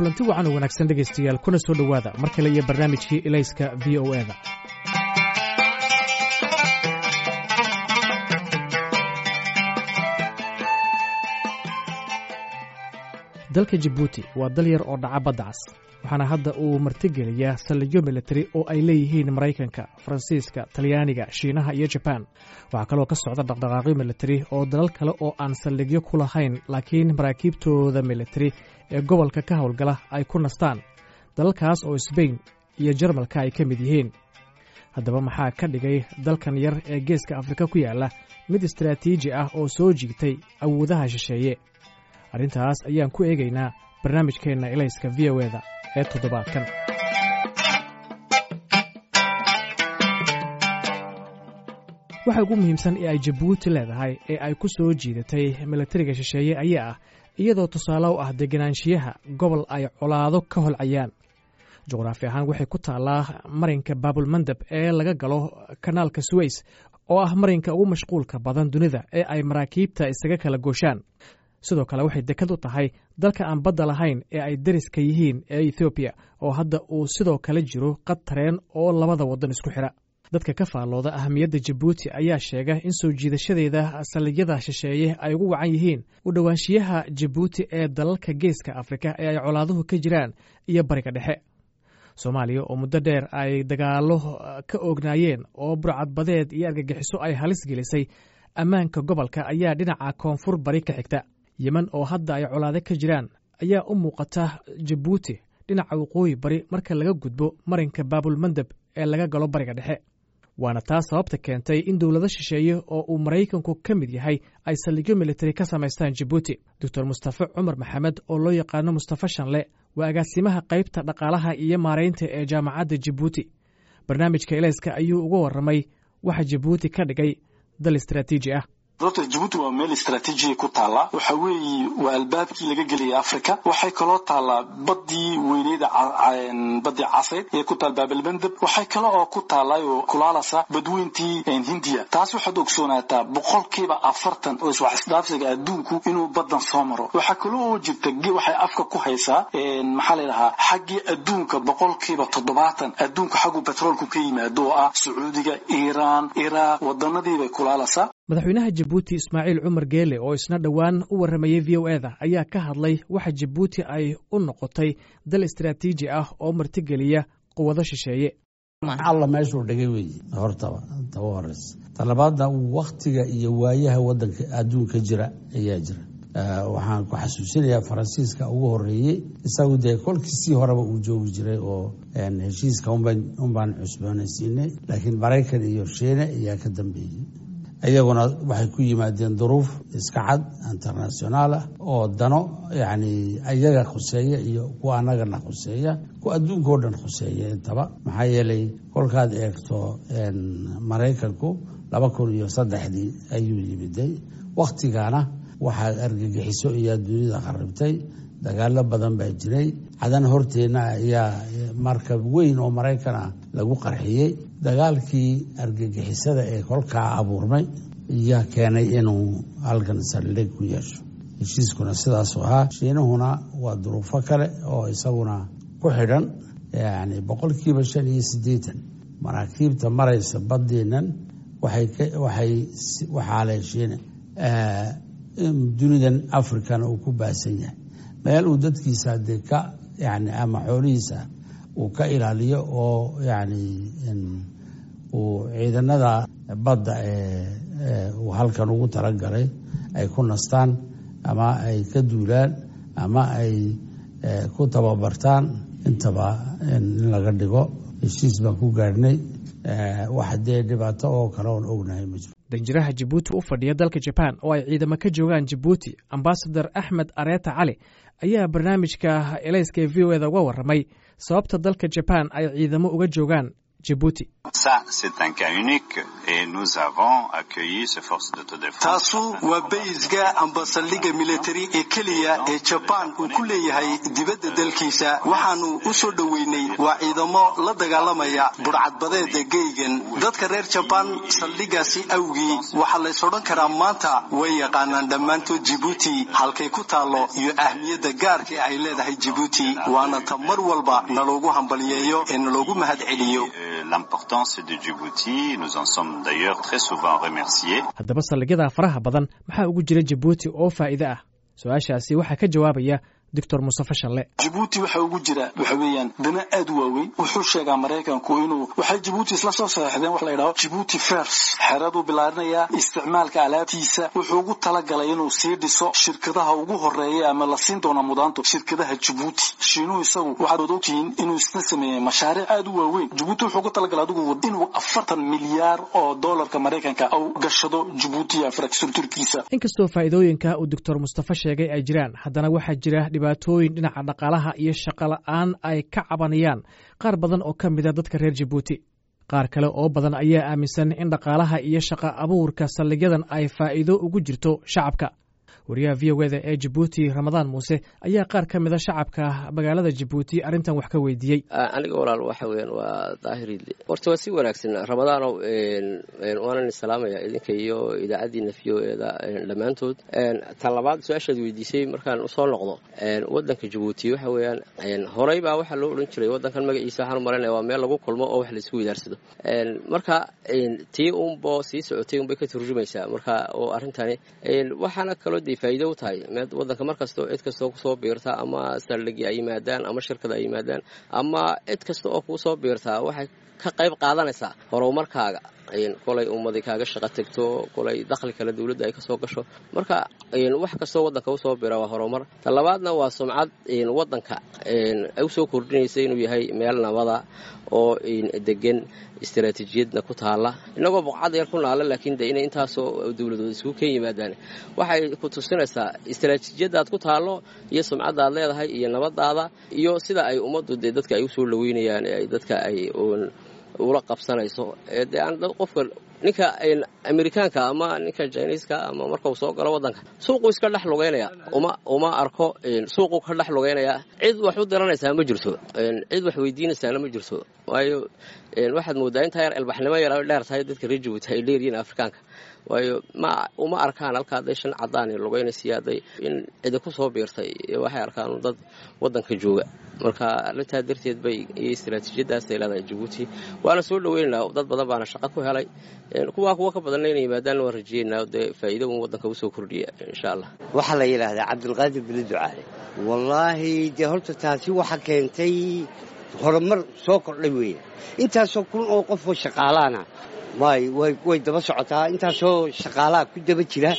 Kulanti wacan oo wanaagsan, dhegaystayaal, kuna soo dhowaada mar kale iyo barnaamijkii Ilayska VOA-da. Dalka Jabuuti waa dal yar oo dhaca badda cas, waxaana hadda uu martigeliyaa saldhigyo militari oo ay leeyihiin Maraykanka, Faransiiska, Talyaaniga, Shiinaha iyo Jabaan. Waxaa kaloo ka socda dhaqdhaqaaqyo militari oo dalal kale oo aan saldhigyo ku lahayn, laakiin maraakiibtooda militari ee gobolka ka howlgala ay ku nastaan, dalalkaas oo Sbain iyo Jarmalka ay ka mid yihiin. Haddaba, maxaa ka dhigay dalkan yar ee Geeska Afrika ku yaalla mid istaraatiiji ah oo soo jiigtay awoodaha shisheeye? Arrintaas ayaan ku eegaynaa barnaamijkeenna Ilayska VOA-da ee toddobaadkan. Waxa ugu muhiimsan ee ay Jabuuti leedahay ee ay ku soo jiidatay milatariga shisheeye ayaa ah iyadoo tusaale u ah deganaanshiyaha gobol ay colaado ka holcayaan. Juqraafi ahaan waxay ku taallaa marinka Baabulmandab ee laga galo kanaalka Suweys, oo ah marinka ugu mashquulka badan dunida ee ay maraakiibta isaga kala gooshaan. Sidoo kale waxay dekad u tahay dalka aan badda lahayn ee ay deriska yihiin ee Ethoobiya, oo hadda uu sidoo kale jiro qad tareen oo labada waddan isku xidha. Dadka ka faallooda ahamiyadda Jabuuti ayaa sheega in soo jiidashadeeda saldhigyada shisheeye ay ugu wacan yihiin u dhowaanshiyaha Jabuuti ee dalalka Geeska Afrika ee ay colaaduhu ka jiraan iyo Bariga Dhexe. Soomaaliya oo muddo dheer ay dagaallo ka oognaayeen oo burcadbadeed iyo argagixiso ay halis gelisay ammaanka gobolka ayaa dhinaca koonfur bari ka xigta. Yemen oo hadda ay colaado ka jiraan ayaa u muuqata Jabuuti dhinaca waqooyi bari marka laga gudbo marinka Baabulmandab ee laga galo Bariga Dhexe. Waana taas sababta keentay in dowlado shisheeye oo uu Maraykanku ka mid yahay ay saldhigyo militari ka samaystaan Jabuuti. Doctor Mustafe Cumar Maxamed, oo loo yaqaano Mustafe Shanle, waa agaasimaha qaybta dhaqaalaha iyo maaraynta ee Jaamacadda Jabuuti. Barnaamijka Ilayska ayuu uga warramay waxa Jabuuti ka dhigay dal istaraatiiji ah. Doctor, Jabuuti waa meel istaraatiijiya ku taallaa. Waxa weeye waa albaabkii laga geliyay Africa. Waxay kaloo taallaa baddii weyneeda, baddii Caseyd ee ku taal Baabalmandab. Waxay kale oo ku taallaa oo kulaalasa badweyntii Hindiya. Taas waxaad ogsoonaataa 40% oo iswax isdhaafsiga adduunku inuu baddan soo maro. Waxaa kaloo oo jirta waxay afka ku haysaa, maxaa la yidhahaa, xaggii adduunka 70% adduunka xaggu petroolku ka yimaado, oo ah Sacuudiga, Iiraan, Iraaq, wadanadiibay kulaalaysaa. Madaxweynaha Jabuuti Ismaaciil Cumar Geele, oo isna dhowaan u warramayey VOA-da, ayaa ka hadlay waxa Jabuuti ay u noqotay dal istaraatiiji ah oo martigeliya quwado shisheeye. Alla meeshuu dhigay weeye hortaba taba horeysa. Talabaadna, waktiga iyo waayaha wadanka adduunka jira ayaa jira. Waxaan ku xasuusinayaa Faransiiska ugu horeeyey. Isagu dee kolkiisii horeba uu joogi jiray oo heshiiska unbaan cusboonaysiinay, laakiin Maraykan iyo Shiine ayaa ka dambeeyey. Iyaguna waxay ku yimaadeen duruuf iska cad, international ah, oo dano yacni iyaga khuseeya iyo kuwa annagana khuseeya, kuwa adduunka oo dhan khuseeya intaba. Maxaa yeelay, kolkaad eegto, Maraykanku 2003-dii ayuu yimiday. Wakhtigana waxaa argagixiso iyo dunida kharibtay, dagaalo badan baa jiray. Cadan horteenna ayaa markab weyn oo Maraykan ah lagu qarxiyey. Dagaalkii argagixisada ee kolkaa abuurmay ayaa keenay inuu halkan saldhig ku yeesho. Heshiiskuna sidaasuu ahaa. Shiinuhuna waa duruufo kale oo isaguna ku xidhan. Yani 85% maraakiibta maraysa badeennan waxay waxaalay Shiine. Dunidan Africana uu ku baahsan yahay, meel uu dadkiisa dee ka yani ama xoolihiisa uu ka ilaaliyo, oo yani uu ciidanada badda ee uu halkan ugu talagalay ay ku nastaan ama ay ka duulaan ama ay ku tababartaan intaba in laga dhigo. Heshiis baan ku gaadhnay. Wax dee dhibaato oo kale oon ognahay ma jiro. Danjiraha Jabuuti u fadhiya dalka Jabaan, oo ay ciidamo ka joogaan Jabuuti, ambasador Axmed Areeta Cali, ayaa barnaamijka Elayska ee VOA-da uga warramay sababta dalka Jabaan ay ciidamo uga joogaan Jabuuti. Taasu waa bayska amba saldhigga militari ee keliya ee Jabaan uu ku leeyahay dibadda dalkiisa. Waxaanu u soo dhoweynay waa ciidamo la dagaalamaya burcadbadeeda geygan. Dadka reer Jabaan saldhiggaasi awgii waxaa lays odhan karaa maanta way yaqaanaan dhammaantood Jibuuti halkay ku taallo iyo ahmiyadda gaarka ay leedahay Jibuuti, waana ta mar walba naloogu hambaliyeeyo ee naloogu mahad celiyo. Haddaba saldhigyada faraha badan maxaa ugu jira Jabuuti oo faa'iide ah? Su-aashaasi waxaa ka jawaabaya Doctor Mustafa Shalle. Jabuuti waxa ugu jira waxa weeyaan dana aad u waaweyn. Wuxuu sheegaa Maraykanku inuu waxay Jabuuti isla soo saxeexdeen wax la yidhaho Jabuuti First, xeraduu bilaarinayaa isticmaalka alaabtiisa. Wuxuu ugu talagalay inuu sii dhiso shirkadaha ugu horeeya ama la siin doona mudaanto shirkadaha Jabuuti. Shiinuhu isagu waxaad ogtihiin inuu isna sameeyey mashaariic aad u waaweyn. Jabuuti wuxuu ugu talagalay adigu inuu 40 milyaar oo doolarka Maraykanka uu gashado Jabuuti infrastructurekiisa. Inkastoo faa'iidooyinka uu Doctor Mustafa sheegay ay jiraan, haddana waxaa jira dhibaatooyin dhinaca dhaqaalaha iyo shaqo la'aan ay ka cabanayaan qaar badan oo ka mida dadka reer Jabuuti. Qaar kale oo badan ayaa aaminsan in dhaqaalaha iyo shaqa abuurka saldhigyadan ay faa'iido ugu jirto shacabka. Wariyaha VOA-da ee Jabuuti, Ramadaan Muuse, ayaa qaar ka mida shacabka magaalada Jabuuti arrintan wax ka weydiiyey. Aniga walaal waxa weeyaan waa Daahir Idle. Horta waa si wanaagsan, Ramadaanow, waanan salaamaya idinka iyo idaacaddiina VOA-da dhammaantood. Tan labaad, su-aashaad weydiisay markaan usoo noqdo, waddanka Jabuuti waxa weeyaan horey baa waxaa loo odhan jiray waddankan magaciisa, waxaan u malanaya, waa meel lagu kulmo oo wax laisku widaarsado. Marka tii unbo sii socotay unbay ka turjumaysaa. Marka oo arrintani waxaana kaloo dee faa'iido u tahay waddanka mar kastoo cid kastoo kusoo biirta, ama saldhigi ay yimaadaan ama shirkada ay yimaadaan ama cid kasta oo kuusoo biirtaa, waxay ka qayb qaadanaysaa horumarkaaga. Kolay ummadi kaaga shaqo tegto, kolay dakhli kale dowladda ay kasoo gasho. Marka wax kastoo waddanka usoo bira waa horumar. Ta labaadna waa sumcad waddanka usoo kordhinaysa inuu yahay meel nabada oo degan, istaraatiijiyadna ku taala, inagoo buqcad yar ku naala, laakiin de inay intaasoo dowladood isugu keen yimaadaan waxay ku tusinaysaa istaraatiijiyadaad ku taallo iyo sumcaddaad leedahay iyo nabadaada iyo sida ay ummaddu dee dadka ay usoo dhaweynayaan ee ay dadka ay ula qabsanayso. Dee aan qofka ninka Amerikaanka ama ninka Jiniiska ama markau soo galo waddanka, suuquu iska dhex lugeynaya, uma arko, suuquu ka dhex lugeynaya. Cid wax u diranaysaa ma jirto, cid wax weydiinaysaana ma jirto, waayo waxaad moodaa intaa yar ilbaxnimo yar ay dheer tahay dadka reer Jabuuti ay dheeryihiin Afrikaanka, waayo ma uma arkaan halka hadday shan cadaan lugeynaysiyo hadday in cidi ku soo biirtay. Waxay arkaan dad waddanka jooga. Marka arrintaa darteed bay iyo istaraatiijiyadaasay leedahay Jabuuti, waana soo dhaweynaynaa. Dad badan baana shaqo ku helay, kuwaa kuwa ka badanna inay yimaadaan waan rajeynaa, dee faa'iido un waddanka usoo kordhiya insha Allah. Waxaa la yidhaahdaa Cabdilqaadir Bili Ducaale. Wallaahi dee horta taasi waxa keentay horumar soo kordhay weeye. Intaasoo kun oo qofoo shaqaalaana way way daba socotaa, intaasoo shaqaalaha ku daba jira,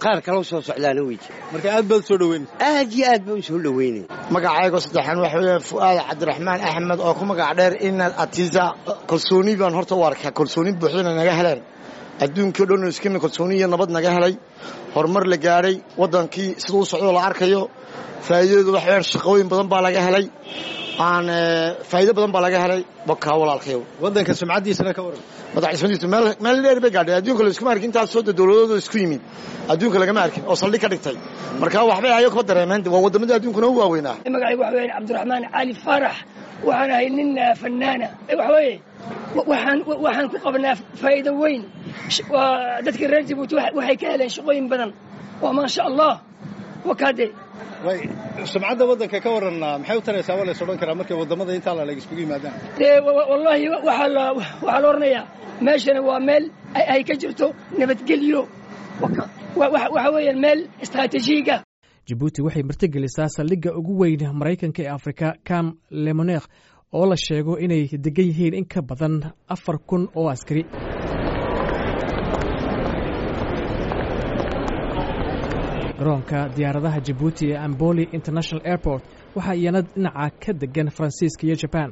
qaar kaloo soo socdaana wey jira. Marka aad baad soo dhaweynay? Aad iyo aad baan u soo dhaweynay. Magacaygo saddexaan waxa weeyaan Fu'aad Cabdiraxmaan Axmed oo ku magac dheer Inaad Atiisa. Kalsooni baan horta u arkaa, kalsooni buuxdana naga heleen adduunkii o dhan, iskimi kalsooni iyo nabad naga helay, horumar la gaadhay, waddankii siduu u socdoo la arkayo. Faa'iidadu waxa weeyaan shaqooyin badan baa laga helay, aan faa'iido badan baa laga helay. Bakaa walaalkayow. Waddanka sumcaddiisana ka waran? Madaxdhismadiisu meel meel dheer bay gaadhay. Adduunka la iskuma arkin intaasoo de dowladooda isku yimid, adduunka lagama arkin oo saldhig ka dhigtay. Marka waxbay ayago kuma dareemeen, waa waddamadii adduunkuna u waaweynaa. Magacaygu waxa weeyaan Cabdiraxmaan Cali Faarax. Waxaan ahay nin fanaana. Waxa weeye waxaan ku qabnaa faa'iido weyn. Dadka reer Jabuuti waxay ka heleen shaqooyin badan, waa maasha Allah wakaade. Way sumcadda waddanka ka waran, maxay u taraysaa waa la is odhan karaa markay waddamada intaa laleg iskugu yimaadaan? Dee wallaahi waxaa la oranayaa meeshana waa meel ay ka jirto nabadgelyo, waxa weeyaan meel istaraatiijiga. Jabuuti waxay martigelisaa saldhigga ugu weyn Maraykanka ee Afrika, Camp Lemonnier, oo la sheego inay degan yihiin in ka badan 4000 oo askari. Garoonka diyaaradaha Jabuuti ee Amboli International Airport waxaa iyana dhinaca ka degan Faransiiska iyo Jaban.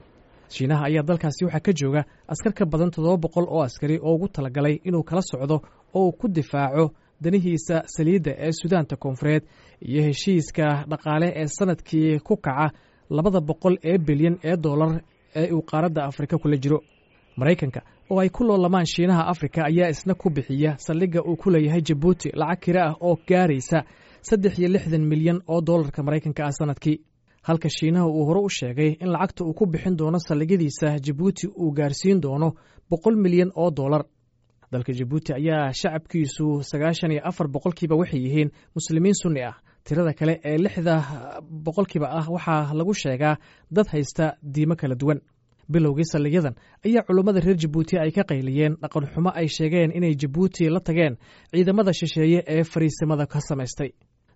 Shiinaha ayaa dalkaasi waxaa ka jooga askar ka badan 700 oo askari oo ugu talagalay inuu kala socdo oo uu ku difaaco danihiisa saliidda ee Suudaanta Koonfureed iyo heshiiska dhaqaale ee sanadkii ku kaca 200 ee bilyan ee dollar. ee uu qaaradda Afrika kula jiro. Maraykanka oo ay ku loolamaan Shiinaha Afrika ayaa isna ku bixiya saldhigga uu ku leeyahay Jabuuti lacag kira ah oo gaaraysa 63 milyan oo dollarka Maraykanka ah sanadkii, halka Shiinaha uu hore u sheegay in lacagta uu ku bixin doono saldhigyadiisa Jabuuti uu gaarsiin doono 100 milyan oo dollar. Dalka Jabuuti ayaa shacabkiisu 94% waxay yihiin Muslimiin Sunni ah. Tirada kale ee 6% ah waxaa lagu sheegaa dad haysta diimo kala duwan. Bilowgii saldhigyadan ayaa culummada reer Jabuuti ay ka qayliyeen dhaqanxumo ay sheegeen inay Jabuuti la tageen ciidamada shisheeye ee fariisimada ka samaystay.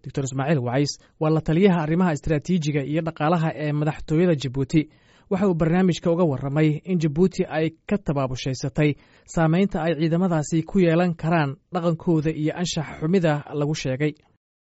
Doctor Ismaaciil Wacays waa la taliyaha arrimaha istaraatiijiga iyo dhaqaalaha ee madaxtooyada Jabuuti. Waxa uu barnaamijka uga warramay in Jabuuti ay ka tabaabushaysatay saameynta ay ciidamadaasi ku yeelan karaan dhaqankooda iyo anshax xumida lagu sheegay.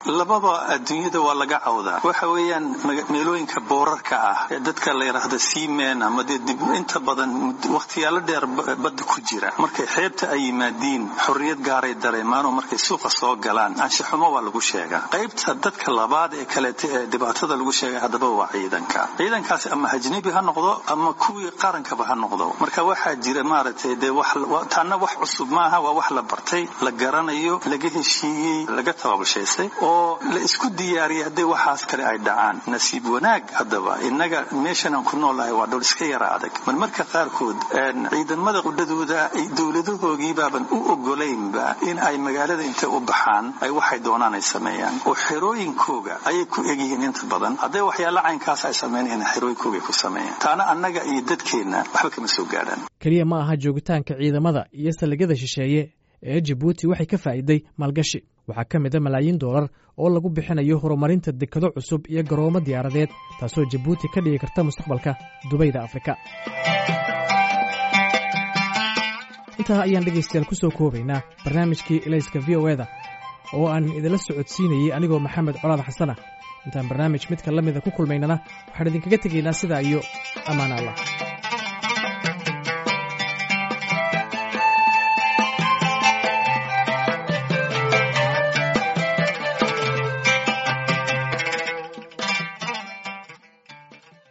Lababa adduunyada waa laga cawdaa. Waxa weeyaan meelooyinka boorarka ah ee dadka la yidhaahdo seamen ama dee dib inta badan wakhtiyaalo dheer badda ku jira, markay xeebta ay yimaadiin xorriyad gaaray dareemaanoo markay suuqa soo galaan anshaxumo waa lagu sheegaa. Qaybta dadka labaad ee kaleeta ee dhibaatada lagu sheegay haddaba waa ciidanka. Ciidankaasi ama ajnabi ha noqdo ama kuwii qarankaba ha noqdo. Marka waxaa jira maaragtay dee wax taana wax cusub maaha, waa wax la bartay, la garanayo, laga heshiiyey, laga tababushaystay oo la isku diyaariyay hadday waxaas kale ay dhacaan. Nasiib wanaag haddaba innaga meeshan aan ku noolahay waa dhul iska yara adag. Marmarka qaarkood ciidamada qudhadooda dowladahoogii baaban u ogolaynba in ay magaalada intay u baxaan ay waxay doonaan ay sameeyaan, oo xerooyinkooga ayay ku egyihiin inta badan. Hadday waxyaala caynkaas ay sameynayaan, xerooyinkooga ay ku sameeyaan, taana annaga iyo dadkeenna waxba kama soo gaadhaan. Keliya ma aha joogitaanka ciidamada iyo saldhigyada shisheeye ee Jabuuti waxay ka faa'iiday maalgashi. Waxaa ka mid a malaayiin doolar oo lagu bixinayo horumarinta dekado cusub iyo garoomo diyaaradeed, taasoo Jabuuti ka dhigi karta mustaqbalka Dubayda Afrika. Intaa ayaan dhegaystayaal ku soo koobaynaa barnaamijkii Ilayska V O eda oo aan idinla socodsiinayey anigoo Maxamed Colaad Xasana. Intaan barnaamij midka la mida ku kulmaynana, waxaan idinkaga tegaynaa sidaa iyo ammaan Allah.